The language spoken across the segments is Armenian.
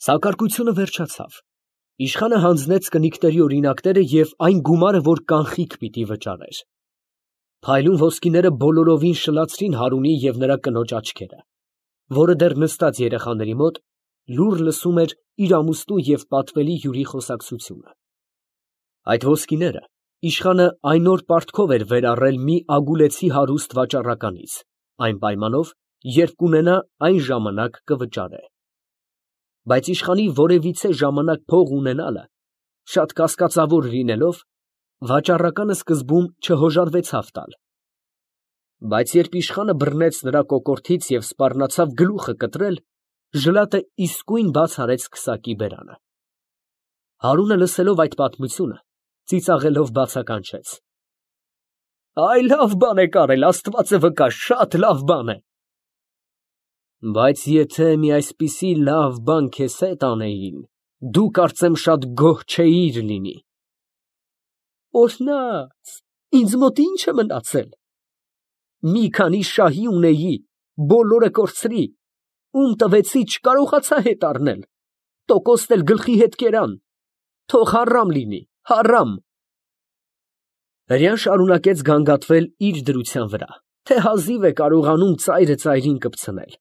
Սակարկությունը վերջացավ։ Իշխանը հանձնեց կնիկների օրինակները և այն գումարը, որ կանխիկ պիտի վճարեր։ Փայլուն ոսկիները բոլորովին շլացրին Հարունի և նրա կնոջ աչքերը, որը դեռ նստած երեխաների մոտ լուռ լսում էր իր ամուսնու և պատվելի հյուրի խոսակցությունը։ Այդ ոսկիները իշխանը այն օր պարտքով էր վերառել մի ագուլեցի հարուստ վաճառականից, այն պայմանով, երբ կունենա, այն ժամանակ կվճարե։ Բայց իշխանի որևիցե ժամանակ փող ունենալը, շատ կասկածավոր լինելով, վաճառականը սկզբում չհոժարվեցավ տալ։ Բայց երբ իշխանը բռնեց նրա կոկորդից և սպառնացավ գլուխը կտրել, ժլատը իսկույն բաց արեց քսակի բերանը։ Հարունը լսելով այդ պատմությունը, ծիծաղելով բացականչեց. «Այ լավ բան եք արել, Աստված վկա, շատ լավ բան է»։ Բայց եթե մի այսպիսի լավ բան քեզ հետ անեին, դու կարծեմ շատ գոհ չէիր լինի։ Օրհնած, ինձ մոտ ի՞նչ է մնացել։ Մի քանի շահի ունեի, բոլորը կորցրի, ում տվեցի չկարողացա հետ առնել, տոկոսն էլ գլխի հետ կերան, թող հարամ լինի, հարամ։ Հրեան շարունակեց գանգատվել իր դրության վրա, թե հազիվ է կարողանում ծայրը ծայրին կպցնել։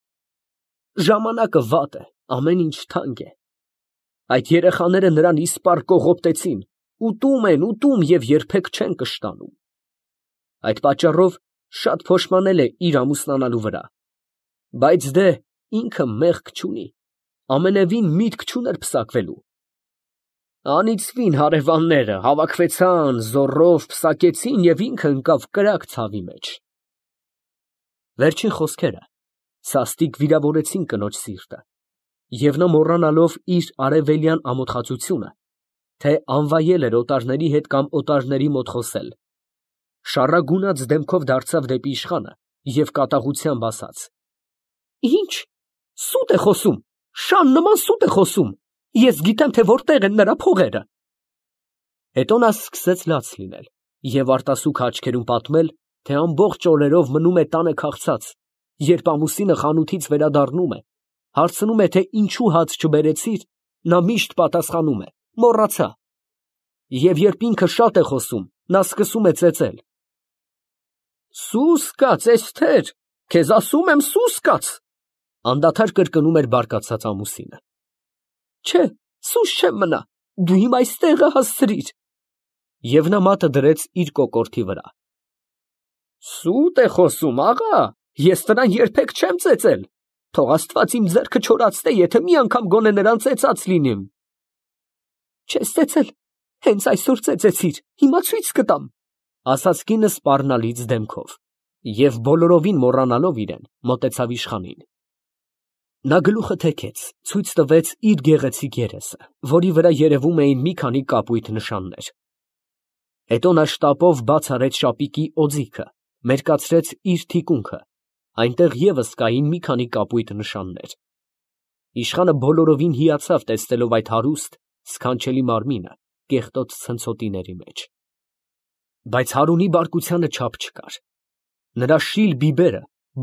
Ժամանակը վատ է, ամեն ինչ թանկ է։ Այդ երեխաները նրան իսպառ կողոպտեցին, ուտում են, ուտում և երբեք չեն կշտանում։ Այդ պատճառով շատ փոշմանել է իր ամուսնանալու վրա, բայց դե ինքը մեղք չունի, ամենևին միտք չուներ պսակվելու։ Անիծվին հարևանները, հավաքվեցան, զոռով պսակեցին և ինքը ընկավ կրակ ցավի մեջ։ Վերջին խոսքերը սաստիկ վիրավորեցին կնոջ սիրտը, և նա մոռանալով իր արևելյան ամոթխածությունը, թե անվայել էր օտարների հետ կամ օտարների մոտ խոսել, շառագունած դեմքով դարձավ դեպի իշխանը և կատաղությամբ ասաց. «Ի՞նչ, սուտ է խոսում, շան նման սուտ է խոսում, ես գիտեմ, թե որտեղ են նրա փողերը»։ Հետո նա սկսեց լաց լինել և արտասուք աչքերում պատմել, թե ամբողջ օրերով մնում է տանը քաղցած, երբ ամուսինը խանութից վերադառնում է, հարցնում է, թե ինչու հաց չբերեցիր, նա միշտ պատասխանում է. մոռացա։ Եվ երբ ինքը շատ է խոսում, նա սկսում է ծեծել. Սուս կաց, Էսթեր, քեզ ասում եմ, սուս կաց, անդադար կրկնում էր բարկացած ամուսինը։ Չէ, սուս չեմ մնա, դու իմ այս տեղը հասցրիր։ Եվ նա մատը դրեց իր կոկորդի վրա։ Սուտ է խոսում, աղա, ես նրան երբեք չեմ ծեծել, թող Աստված իմ ձեռքը չորացնե, եթե մի անգամ գոնե նրան ծեծած լինեմ։ Չես ծեծել, հենց այսօր ծեծեցիր, հիմա ցույց կտամ, ասաց կինը սպառնալից դեմքով, և բոլորովին մոռանալով իրեն, մոտեցավ իշխանին։ Նա գլուխը թեքեց, ցույց տվեց իր գեղեցիկ երեսը, որի վրա երևում էին մի քանի կապույտ նշաններ։ Հետո նա շտապով բաց արեց շապիկի օձիքը, մերկացրեց իր թիկունքը, այնտեղ ևս կային մի քանի կապույտ նշաններ։ Իշխանը բոլորովին հիացավ տեսնելով այդ հարուստ, սքանչելի մարմինը կեղտոտ ցնցոտիների մեջ։ Բայց Հարունի բարկությանը չափ չկար։ Նրա շիլ բիբերը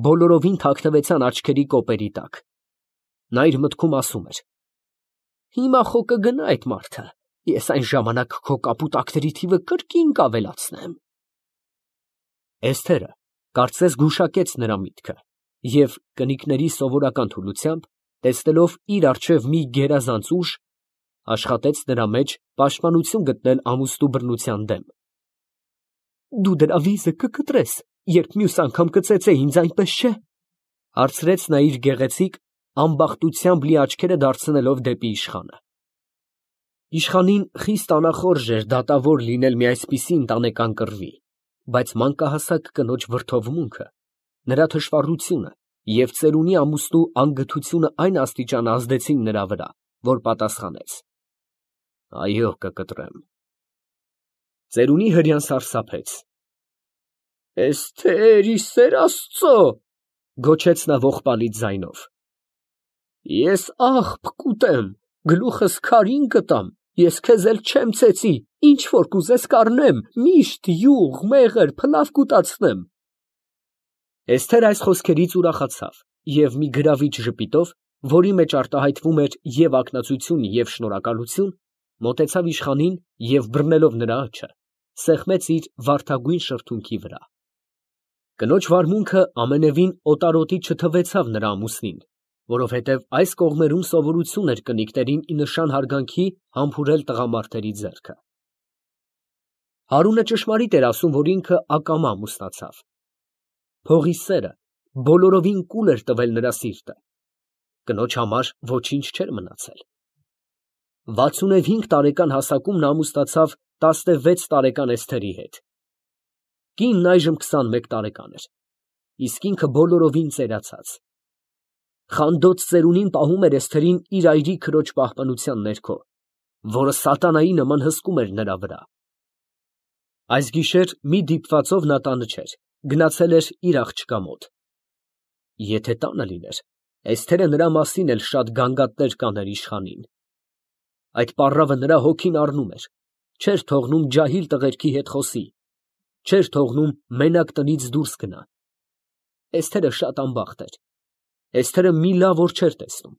բոլորովին թաքնվեցան աչքերի կոպերի տակ։ Նա իր մտքում ասում էր. հիմա խո կգնա այդ մարդը, ես այն ժամանակ քո կապուտակների թիվը կրկին կավելացնեմ։ Էսթերը կարծես գուշակեց նրա միտքը և կնիկների սովորական թուլությամբ, տեսնելով իր առջև մի գերազանց ուժ, աշխատեց նրա մեջ պաշտպանություն գտնել ամուսնու բռնության դեմ։ Դու դրա վիզը կկտրես, երբ մյուս անգամ կծեծե ինձ, այնպես չէ, հարցրեց նա իր գեղեցիկ, ամբախտությամբ լի աչքերը դարձնելով դեպի իշխանը։ Իշխանին խիստ անախորժ էր դատավոր լինել մի այսպիսի ընտանեկան կռվի, բայց մանկահասակ կնոջ վրդովմունքը, նրա թշվառությունը և ծերունի ամուսնու անգթությունը այն աստիճան ազդեցին նրա վրա, որ պատասխանեց. Այո, կկտրեմ։ Ծերունի հրեան սարսափեց։ Էսթեր, ի սեր Աստծո, գոչեց նա ողբալից ձայնով։ Ես աղբ կուտեմ, գլուխս քարին կտամ, ես քեզ էլ չեմ ծեծի, ինչ որ կուզես կառնեմ, միշտ յուղ, մեղր, փլավ կուտացնեմ։ Էսթեր այս խոսքերից ուրախացավ և մի գրավիչ ժպիտով որի մեջ արտահայտվում էր և ակնածություն, և շնորհակալություն, մոտեցավ իշխանին և բռնելով նրա աջը, սեղմեց իր վարդագույն շրթունքի վրա։ Կնոջ վարմունքը ամենևին օտարոտի չթվեցավ նրա ամուսնին, որովհետև այս կողմերում սովորություն էր կնիկներին ի նշան հարգանքի համբուրել տղամարդերի ձեռքը։ Հարունը ճշմարիտ էր ասում, որ ինքը ակամա ամուսնացավ։ Փողի սերը բոլորովին կուլ էր տվել նրա սիրտը։ Կնոջ համար ոչինչ չէր մնացել։ 65 տարեկան հասակում նա ամուսնացավ 16 տարեկան Էսթերի հետ։ Կինն այժմ 21 տարեկան էր, իսկ ինքը բոլորովին ծերացած։ Խանդոտ ծերունին պահում էր Էսթերին իր այրի քրոջ պահպանության ներքո, որը սատանայի նման հսկում էր նրա վրա։ Այս գիշեր մի դիպվածով նա տանը չէր, գնացել էր իր աղջկա մոտ։ Եթե տանը լիներ, Էսթերը նրա մասին էլ շատ գանգատներ կաներ իշխանին։ Այդ պառավը նրա հոգին առնում էր, չէր թողնում ջահիլ տղերքի հետ խոսի, չէր թողնում մենակ տնից դուրս գնա։ Էսթերը շատ անբախտ էր։ Էսթերը մի լավ օր չէր տեսնում։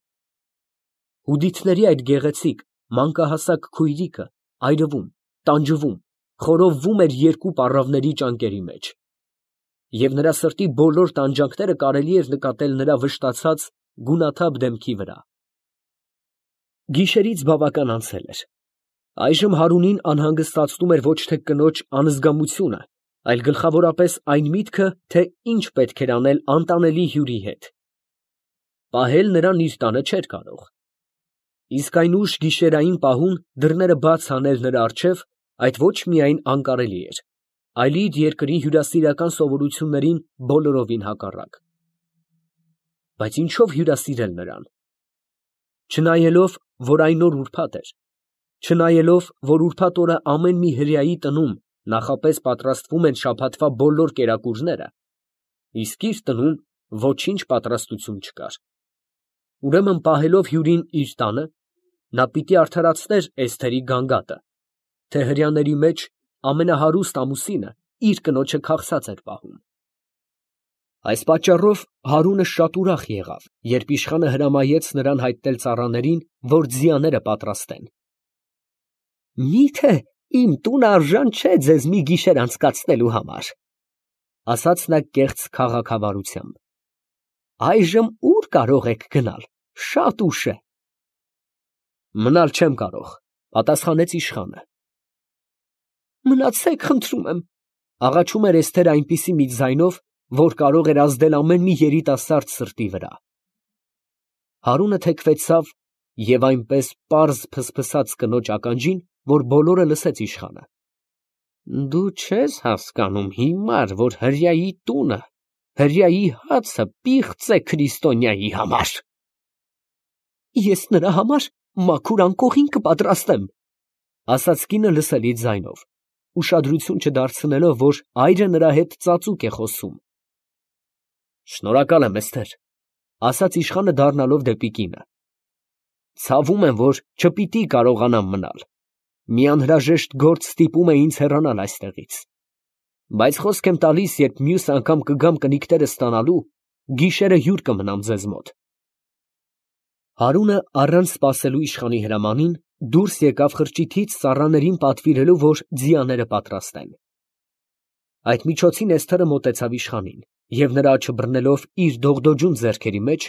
Հուդիթների այդ գեղեցիկ, մանկահասակ քույրիկը այրվում, տանջվում, խորովվում էր երկու պառավների ճանկերի մեջ։ Եվ նրա սրտի բոլոր տանջանքները կարելի էր նկատել նրա վշտացած, գունաթափ դեմքի վրա։ Գիշերից բավական անցել էր։ Այժմ Հարունին անհանգստացնում էր ոչ թե կնոջ անզգամությունը, այլ գլխավորապես այն միտքը, թե ինչ պետք էր անել անտանելի հյուրի հետ։ Պահել նրան իր տանը չէր կարող։ Իսկ այն ուշ գիշերային պահուն դռները բաց անել նրա առջև, այդ ոչ միայն անկարելի էր, այլ իր երկրի հյուրասիրական սովորություններին բոլորովին հակառակ։ Բայց ինչով հյուրասիրել նրան։ Չնայելով, որ այն օր ուրբաթ էր, չնայելով, որ ուրբաթ օրը ամեն մի հրեայի տնում նախապես պատրաստվում են շաբաթվա բոլոր կերակուրները, իսկ իր տնում ոչինչ պատրաստություն չկար։ Ուրեմն պահելով հյուրին իր տանը, նա պիտի արդարացներ Էսթերի գանգատը, թե հրեաների մեջ ամենահարուստ ամուսինը իր կնոջը քաղցած էր պահում։ Այս պատճառով Հարունը շատ ուրախ եղավ, երբ իշխանը հրամայեց նրան հայտնել ծառաներին, որ ձիաները պատրաստեն։ Միթե իմ տունը արժան չէ ձեզ մի գիշեր անցկացնելու համար, ասաց նա կեղծ քաղաքավարությամբ։ Այժմ ուր կարող եք գնալ, շատ ուշ է։ Մնալ չեմ կարող, պատասխանեց իշխանը։ Մնացեք, խնդրում եմ, աղաչում էր Էսթերը այնպիսի մի ձայնով, որ կարող էր ազդել ամեն մի երիտասարդ սրտի վրա։ Հարունը թեքվեցավ և այնպես պարզ փսփսաց կնոջ ականջին, որ բոլորը լսեց իշխանը։ Դու չես հասկանում հիմար, որ հրեայի տունը, հրեայի հացը պիղծ է քրիստոնյայի համար։ Ես նրա համար մաքուր անկողին կպատրաստեմ, ասաց կինը լսելի ձայնով, ուշադրություն չդարձնելով, որ այրը նրա հետ ծածուկ է խոսում։ Շնորհակալ եմ, Էսթեր, ասաց իշխանը դառնալով դեպի կինը։ Ցավում եմ, որ չպիտի կարողանամ մնալ։ Մի անհրաժեշտ գործ ստիպում է ինձ հեռանալ այստեղից։ Բայց խոսք եմ տալիս, երբ մյուս անգամ կգամ կնիկներս ստանալու, գիշերը հյուր կմնամ ձեզ մոտ։ Հարունը առանց սպասելու իշխանի հրամանին դուրս եկավ խրճիթից ծառաներին պատվիրելու, որ ձիաները պատրաստեն։ Այդ միջոցին Էսթերը մոտեցավ իշխանին և նրա աջը բռնելով իր դողդոջուն ձեռքերի մեջ,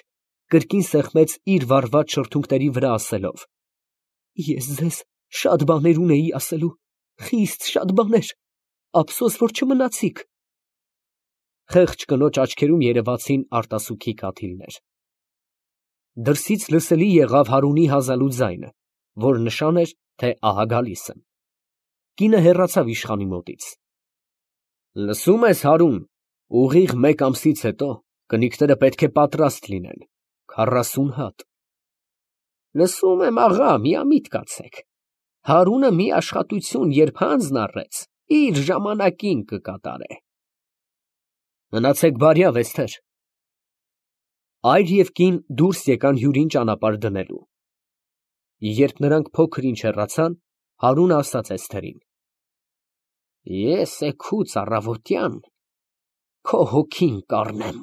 կրկին սեղմեց իր վառված շրթունքների վրա ասելով. Ես ձեզ շատ բաներ ունեի ասելու, խիստ շատ բաներ, ափսոս, որ չմնացիք։ Խեղճ կնոջ աչքերում երևացին արտասուքի կաթիլներ։ Դրսից լսելի եղավ Հարունի հազալու ձայնը, որ նշան էր, թե ահա գալիս եմ։ Կինը հեռացավ իշխանի մոտից։ Լսում ես, Հարուն, ուղիղ մեկ ամսից հետո կնիկները պետք է պատրաստ լինեն, 40 հատ։ Լսում եմ, աղա, միամիտ կացեք։ Հարունը մի աշխատություն, երբ հանձն առեց, իր ժամանակին կկատարե։ Մնացեք բարյավ, Էսթեր։ Այր և կին դուրս եկան հյուրին ճանապարհ դնելու։ Երբ նրանք փոքր ինչ հեռացան, Հարունը ասաց Էսթերին. Ես էգուց առավոտյան քո հոգին կառնեմ։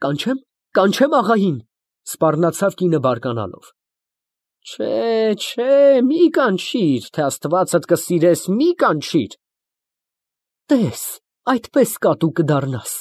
Կանչեմ աղային։ Սպառնացավ կինը բարկանալով։ Չէ, մի կանչիր, թե Աստվածդ կսիրես, մի կանչիր։ Տես, այդպես կատու կդառնաս։